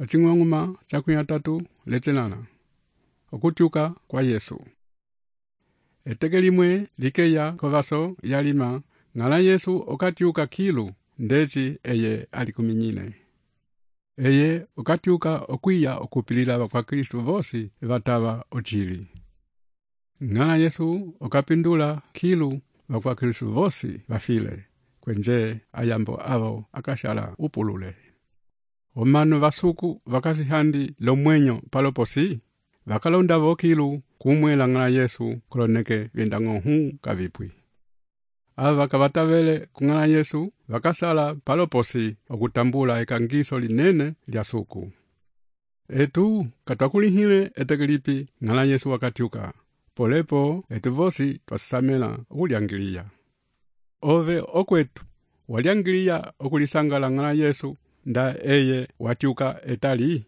Ocing'ong'uma cha 3 lecenana. Okutyuka kwa Yesu. Eteke limwe likeya kovaso yalima, ng'ala Yesu okatyuka kilu, ndeci eye alikuminyine. Eye okatyuka okwiya okupilila kwa Kristu vosi vatava ochili. Ng'ala Yesu okapindula kilu kwa Kristu vosi vafile, kwenje ayambo avo akashala upulule. Omanu vasuku vakasihandi lomwenyo paloposi, vakalonda vokilu kumwela ng'ala Yesu koloneke vyendang'ohu kavipwi. Ava kavatavele kung'ala Yesu vakasala paloposi okutambula ekangiso linene lya suku. Etu katwakulihile etekelipi ng'ala Yesu wakatyuka, polepo etu vosi twasisamela okulyangiliya. Ove okwetu walyangiliya okulisangala ng'ala Yesu nda eye watyuka etali?